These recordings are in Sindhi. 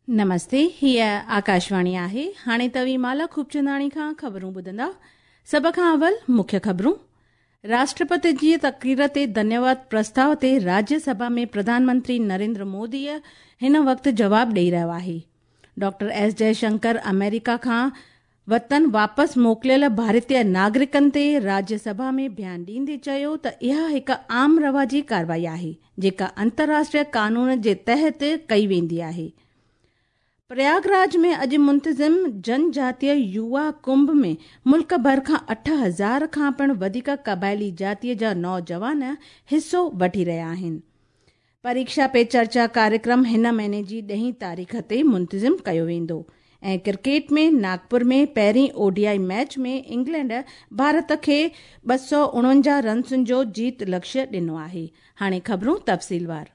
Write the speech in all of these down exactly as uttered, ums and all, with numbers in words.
نمستي، هيء آڪاشواڻي آهي. هاڻي توهين مالا خوبچنداڻي کان خبرون ٻڌندا. سڀ کان اول مکيه خبرون. راشٽرپتي جي تقرير تي ڌنيواد پرستاو تي راجيه سڀا ۾ پرڌان منتري نريندر مودي هن وقت جواب ڏئي رهيو آهي. ڊاڪٽر ايس جئشنڪر آمريڪا کان وطن واپس موڪليل ڀارتيه ناگرڪن تي راجيه سڀا ۾ بيان ڏيندي چيو ته اها هڪ عام رواجي ڪارروائي آهي، جيڪا انترراشٽريه قانون جي تحت ڪئي ويندي آهي. پرياگراج ۾ اڄ منتظم جنجاتيه يووا ڪنڀ ۾ ملڪ ڀر کان اٺ هزار کان پڻ وڌيڪ قبائلي جاتيء جا نوجوان حصو وٺي رهيا آهن. پريڪشا پي چرچا ڪاريڪرم هن مهيني جي ڏهين تاريخ تي منتظم ڪيو ويندو. ۽ ڪرڪيٽ ۾ ناگپور ۾ پهرين O D I match ۾ England Bharat کي ٻه سؤ اڻونجاهه رنسن جو جيت لڪشيه ڏنو آهي. هاڻي خبرون تفصيلوار.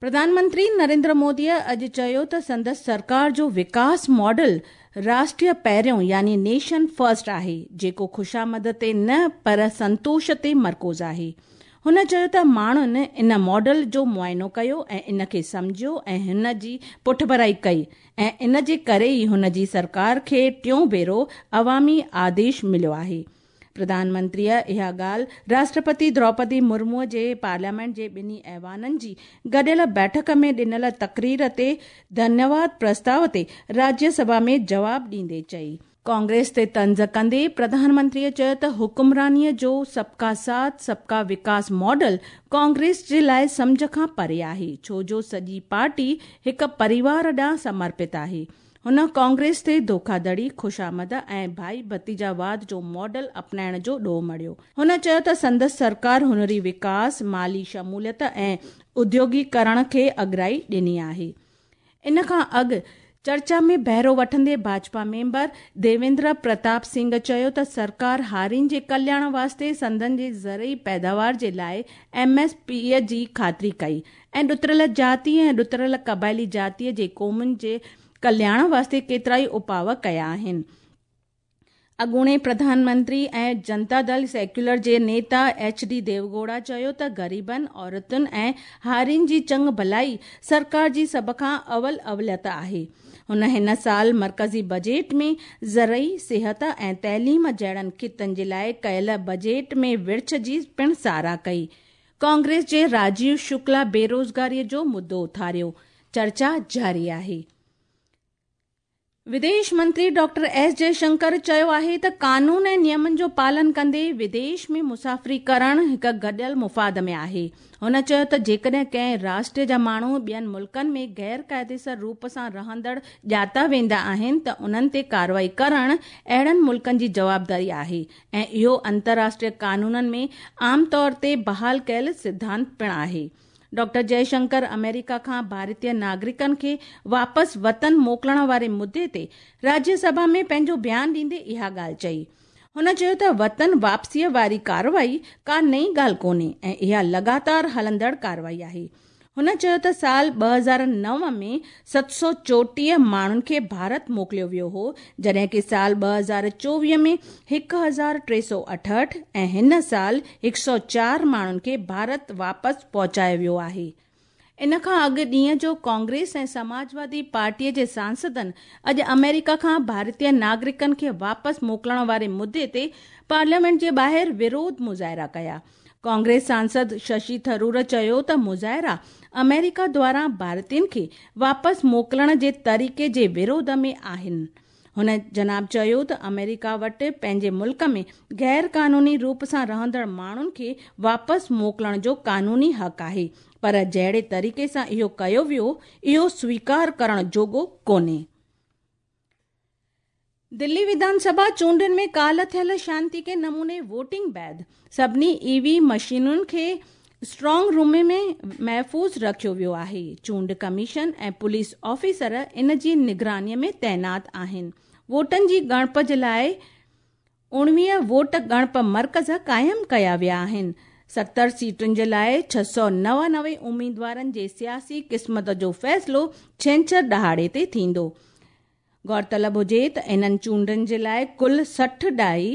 پرڌان منتري نريندر موديء اڄ چيو ته سندس سرڪار جو وڪاس ماڊل راشٽريه پهريون يعني نيشن فرسٽ آهي، جيڪو خوشامد تي نه پر سنتوش تي مرڪوز آهي. هن چيو ته ماڻهن ان ماڊل جو معائنو ڪيو ۽ ان کي سمجهيو ۽ هن جي پٺڀرائي ڪئي ۽ ان جي ڪري ئي هن جي سرڪار کي ٽيون ڀيرو عوامي آديش مليو آهي. پرڌان منتريء اها ڳالهه راشٽرپتي دروپدي مرموء جي پارليامينٽ جي ٻنهي ايوانن جي گڏيل بيٺڪ ۾ ڏنل تقرير تي ڌنيواد پرستاو تي راجيه سڀا ۾ جواب ڏيندي چئي. ڪانگريس تي طنز ڪندي پرڌان منتريء چيو ته حڪمرانيء جو سبڪا ساٿ سبڪا وڪاس ماڊل ڪانگريس جي لاء سمجهه کان پري آهي، ڇو جو سڄي پارٽي هڪ پريوار ڏانهن سمرپت آهي. هن ڪانگريس تي ڌوکاڌڙي، خوشامد ۽ ڀائي ڀتيجاواد جو ماڊل اپنائڻ جو ڏوهه مڙهيو. هن چيو ته سندس سرڪار هنري وڪاس، مالي شموليت ۽ اديوگيڪرڻ کي اڳرائي ڏني آهي. ان کان اڳ چرچا ۾ بهرو وٺندي ڀاجپا ميمبر ديويندر پرتاپ سنگهه چيو ته سرڪار هارين جي ڪلياڻ واسطي سندن جي زرعي پيداوار جي لاء ايم ايس پي جي خاطري ڪئي ۽ ڏتڙيل جاتي ۽ ڏتڙيل قبائلي جاتيء جي قومن جي ڪلياڻ واسطي ڪيترائي اپاء ڪيا آهن. اڳوڻي پرڌان منتري ۽ جنتا دل سيڪيولر جي نيتا ايڇ ڊي ديوگوڙا چيو ته غريبن، عورتن ۽ هارين جي چڱ ڀلائي سرڪار جي سڀ کان اول اوليت آهي. هن هن سال مرڪزي بجيٽ ۾ زرعي، صحت ۽ تعليم جهڙن خطن جي لاء ڪيل بجيٽ ۾ ورڇ جي پڻ ساراهه ڪئي. ڪانگريس جي راجيو شڪلا بيروزگاري جو مدو اٿاريو. چرچا جاري آهي. وديش منتري ڊاڪٽر ايس جئشنڪر چيو آهي ته قانون ۽ نيمن جو پالن ڪندي وديش ۾ مسافري ڪرڻ هڪ گڏيل مفاد ۾ آهي. هن چيو ته جيڪڏهن ڪنهن راشٽر جا ماڻهو ٻين ملڪن ۾ غير قاعديسر روپ سان رهندڙ ڄاتا ويندا آهن ته انهن تي ڪارروائي ڪرڻ اهڙن ملڪن جي جوابداري آهي ۽ اهو انترراشٽريه قانونن ۾ عام طور تي بحال ڪيل سڌانت پڻ آهي. ڊاڪٽر جئشنڪر آمريڪا کان ڀارتيه ناگرڪن کي واپس وطن موڪلڻ واري مدعي تي راجيه سڀا ۾ پنهنجو بيان ڏيندي اها ڳالهه چئي. هن چيو ته وطن واپسيء واري ڪارروائي ڪا نئين ڳالهه ڪونهي ۽ اها لڳاتار هلندڙ ڪارروائي آهي. هن چيو ته سال ٻه هزار نو ۾ ست سؤ چوٽيهه ماڻهن کي ڀارت موڪليو ويو هو، جڏهن ڪه سال ٻه هزار چوويهه ۾ هڪ هزار ٽي سؤ اٺهٺ ۽ هن سال هڪ سؤ چار ماڻهن کي ڀارت واپس پهچايو ويو آهي. ان کان اڳ ڏينهن جو ڪانگريس ۽ سماجوادي پارٽيء جي سانسدن اڄ آمريڪا کان ڀارتيه ناگرڪن کي واپس موڪلڻ واري مدعي تي پارليامينٽ جي ٻاهر وروڌ مظاهرا ڪيا. ڪانگريس سانسد ششي ٿرور چيو ته مظاهرا آمريڪا دواران ڀارتين کي واپس موڪلڻ جي طريقي جي وروڌ ۾ آهن. هن جناب چيو ته آمريڪا وٽ پنهنجي ملڪ ۾ غير قانوني روپ سان رهندڙ ماڻهن کي واپس موڪلڻ جو قانوني حق آهي، پر جهڙي طريقي سان اهو ڪيو ويو، اهو سويڪار ڪرڻ جوڳو ڪونهي. دلي وڌان سڀا چونڊن ۾ ڪالهه ٿيل شانتيڪي نموني ووٽنگ بعد سڀني اي وي مشينن کي اسٽرانگ روم ۾ محفوظ رکيو ويو آهي. چونڊ ڪميشن ۽ پوليس آفيسر ان جي نگراني ۾ تعينات آهن. ووٽن جي ڳڻپ جي لاء اڻويهه ووٽ ڳڻپ مرڪز قائم ڪيا ويا آهن. ستر سيٽن جي لاء ڇهه سؤ نوانوي اميدوارن جي سياسي قسمت جو فيصلو ڇنڇر ڏهاڙي تي ٿيندو. غور طلب هجي ته انهن چونڊن جي لاءِ ڪل سٺ ڏهائي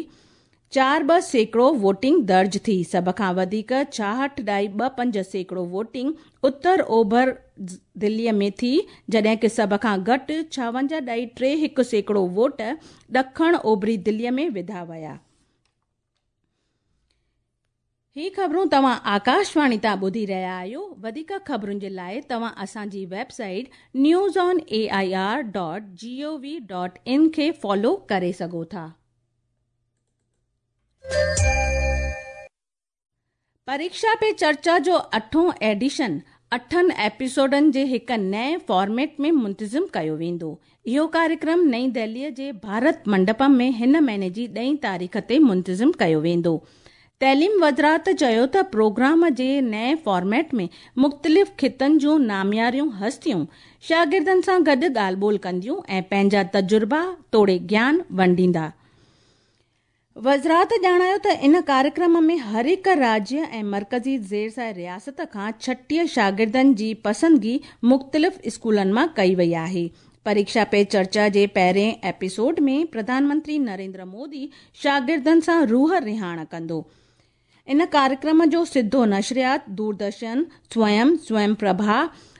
چار ٻه سيڪڙو ووٽنگ درج ٿي. سڀ کان وڌيڪ ڇاهٺ ڏهائي ٻه پنج سيڪڙو ووٽنگ اتر اوڀر دليءَ ۾ ٿي، جڏهن ڪه سڀ کان گهٽ ڇاونجاهه ڏهائي ٽي هڪ سيڪڙو ووٽ ڏکڻ اوڀري دليءَ ۾ وڌا ويا. هي خبرون توهان آڪاشواڻي تان ٻڌي رهيا آهيو. وڌيڪ خبرن جي لاءِ توهان اسان جي website news on A I R dot G O V dot in کي فالو ڪري سگهو ٿا. پريڪشا پي چرچا جو اٺون ايڊيشن اٺن ايپيسوڊن جي هڪ نئين فارميٽ ۾ منتظم ڪيو ويندو. اهو ڪاريڪرم نئين دهليءَ جي ڀارت منڊپم ۾ هن مهيني جي ڏهين تاريخ تي منتظم ڪيو ويندو. تعليم وزارت چيو ته پروگرام جي نئين فارميٽ ۾ مختلف خطن جون نامياريون هستيون شاگردن سان گڏ ڳالهه ٻولهه ڪنديون ۽ پنهنجا تجربا توڙي گيان ونڊيندا. وزارت ڄاڻايو ته ان ڪاريڪرم ۾ هر هڪ راجيه ۽ مرڪزي زير رياست کان ڇٽيهه شاگردن جي پسندگي مختلف اسڪولن مان ڪئي وئي آهي. پريڪشا پي چرچا جي پهرين ايپيسوڊ ۾ پرڌان منتري نريندر مودي شاگردن سان روح رهاڻ ڪندو. ان ڪاريڪرم جو سڌو نشريات دوردرشن، سويم، سويم پرڀا،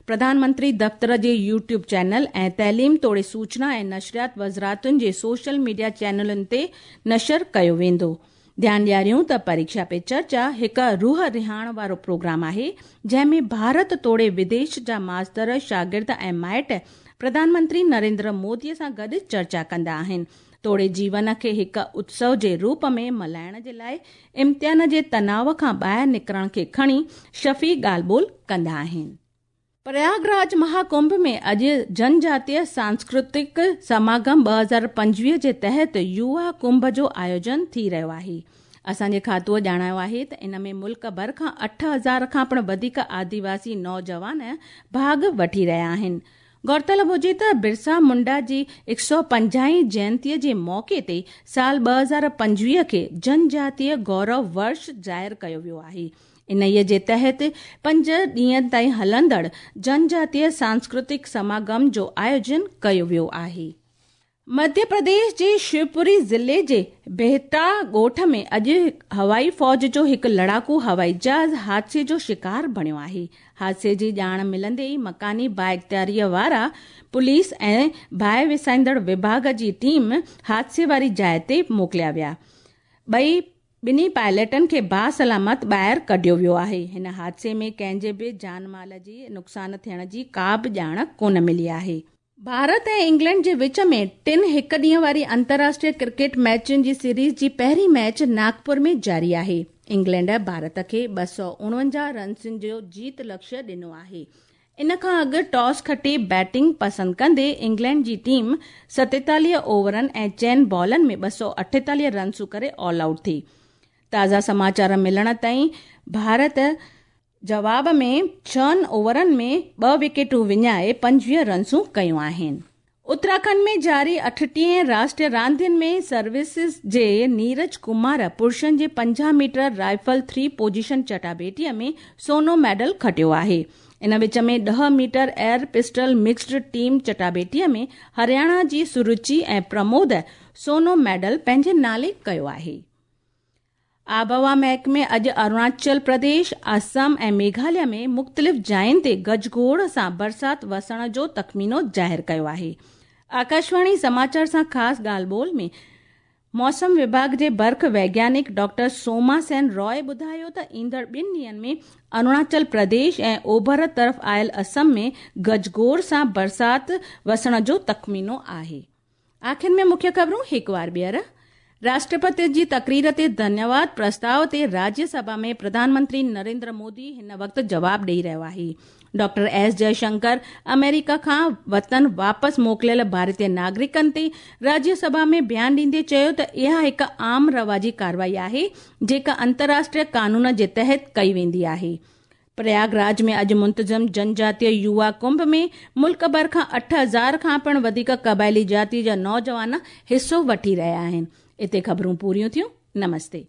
پرڌان منتري دفتر جي يوٽيوب چينل ۽ تعليم توڙي سوچنا ۽ نشريات وزارتن جي سوشل ميڊيا چينلن تي نشر ڪيو ويندو. ڌيان ڏياريون ته پريڪشا پي چرچا هڪ روح رهاڻ وارو پروگرام آهي، جنهن ۾ ڀارت توڙي وديش جا ماستر، شاگرد ۽ مائٽ پرڌان منتري نريندر موديءَ سان گڏ چرچا ڪندا آهن، توڙي جيون کي هڪ اتسو جي روپ ۾ ملهائڻ جي لاءِ امتحان جي تناءُ کان ٻاهر نڪرڻ کي کڻي شفي ڳالهه ٻولهه ڪندا آهن. پرياگراج مهاڪنڀ ۾ اڄ جنجاتيه سانسڪرتڪ سماگم ٻه هزار پنجويهه جي تحت يووا ڪنڀ جو آيوجن ٿي رهيو آهي. اسان جي کاتوءَ ڄاڻايو آهي ته ان ۾ ملڪ ڀر کان اٺ هزار کان پڻ وڌيڪ آديواسي نوجوان ڀاڳ وٺي رهيا آهن. غور طلب هجي ته برسا منڊا جي هڪ سؤ پنجاهين جينتيءَ جي موقعي تي سال ٻه هزار پنجويهه کي جنجاتيه گورو ورش ظاهر ڪيو ويو آهي. انهيءَ جي تحت پنج ڏينهن تائين هلندڙ جنجاتيه سانسڪرتڪ سماگم جو آيوجن ڪيو ويو آهي. مڌيه پرديش جي شوپوري ضلعي جي بهتا ڳوٺ ۾ اڄ هوائي فوج جو هڪ لڙاڪو هوائي جهاز حادثي جو شڪار بڻيو آهي. حادثي جي ڄاڻ ملندي ئي مڪاني بااختياريءَ وارا پوليس ۽ باهه وسائيندڙ وڀاڳ جي ٽيم حادثي واري جاءِ تي موڪليا ويا. ٻئي ٻنهي پائلٽن کي باسلامت ٻاهر ڪڍيو ويو آهي. هن حادثي ۾ ڪنهن جي به جان مال جي نقصان ٿيڻ جي ڪا به ڄاڻ ڪونه ملي آهي. ڀارت ۽ انگلينڊ جي وچ ۾ ٽن هڪ ڏينهن واري انترراشٽريه ڪرڪيٽ ميچن جي سيريز جي پهرين ميچ ناگپور ۾ جاري آهي. انگلينڊ ڀارت کي ٻه سؤ اڻونجاهه رنسن جو جيت لڪشيه ڏنو آهي. ان کان اڳ ٽاس کٽي بيٽنگ پسند ڪندي انگلينڊ جي ٽيم ستيتاليهه اوورن ۽ چئن بالن ۾ ٻه سؤ اٺيتاليهه رنسون ڪري آل آئوٽ ٿي. تازا سماچار ملڻ تائين ڀارت جواب ۾ ڇهن اوورن ۾ ٻه وڪيٽون وڃائي پنجويهه رنسون ڪيون آهن. اتراکنڊ ۾ جاري اٺٽيهين راشٽريه راندين ۾ سروسز جي نيرج ڪمار پرشن جي پنجاهه ميٽر رائفل ٿري پوزيشن چٽاڀيٽيءَ ۾ سونو ميڊل کٽيو آهي. ان وچ ۾ ڏهه metre air pistol mixed team چٽاڀيٽيءَ ۾ Haryana جي سرچي ۽ پرمود سونو ميڊل پنهنجي نالي ڪيو آهي. آبهوا محڪمي اڄ اروناچل پرديش، آسام ۽ ميگهاليه ۾ مختلف جاين تي گجگوڙ سان برسات وسڻ جو تخمينو ظاهر ڪيو آهي. آڪاشواڻي سماچار سان خاص ڳالهه ٻولهه ۾ موسم وڀاڳ جي برک ويگيانڪ ڊاڪٽر سوما سين راءِ ٻڌايو ته ايندڙ ٻن ڏينهن ۾ اروناچل پرديش ۽ اوڀر طرف آيل آسام ۾ گجگوڙ سان برسات وسڻ جو تخمينو آهي. آخر ۾ مکيه خبرون هڪ وار ٻيهر. راشٽرپتي جي تقرير تي ڌنيواد پرستاءُ تي راجيه سڀا ۾ پرڌان منتري نريندر مودي هن وقت جواب ڏيئي رهيو آهي. ڊاڪٽر ايس جئشنڪر آمريڪا کان وطن واپس موڪليل ڀارتيه ناگرڪن تي راجيه سڀا ۾ بيان ڏيندي چيو ته اها هڪ عام رواجي ڪارروائي آهي جيڪا انترراشٽريه قانون جي تحت ڪئي ويندي آهي. پرياگراج ۾ اڄ منتظم جنجاتيه يووا ڪنڀ ۾ ملڪ ڀر کان اٺ هزار کان پڻ وڌيڪ قبائلي جاتي جا نوجوان حصو وٺي رهيا آهن. اتي خبرون پوريون ٿيون. نمستي.